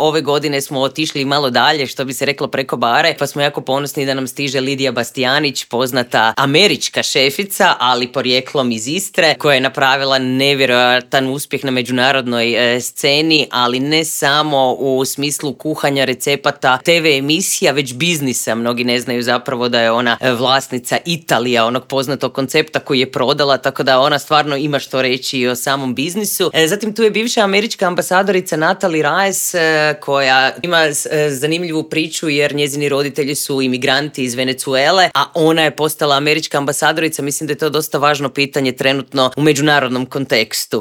ove godine smo otišli malo dalje, što bi se reklo preko bare, pa smo jako ponosni da nam stiže Lidija Bastijanić, poznata američka šefica, ali porijeklom iz Istre, koja je napravila nevjerojatan uspjeh na međunarodnoj sceni, ali ne samo u smislu kuhanja, recepata, TV emisija, već biznisa. Mnogi ne znaju zapravo da je ona vlasnica Italija, onog poznatog koncepta koji je prodala, tako da ona stvarno ima što reći i o samom biznisu. Zatim tu je bivša američka ambasadorica Natalie Reyes, koja ima zanimljivu priču jer njezini roditelji su imigranti iz Venezuele, a ona je postala američka ambasadorica. Mislim da je to dosta važno pitanje trenutno u međunarodnom kontekstu.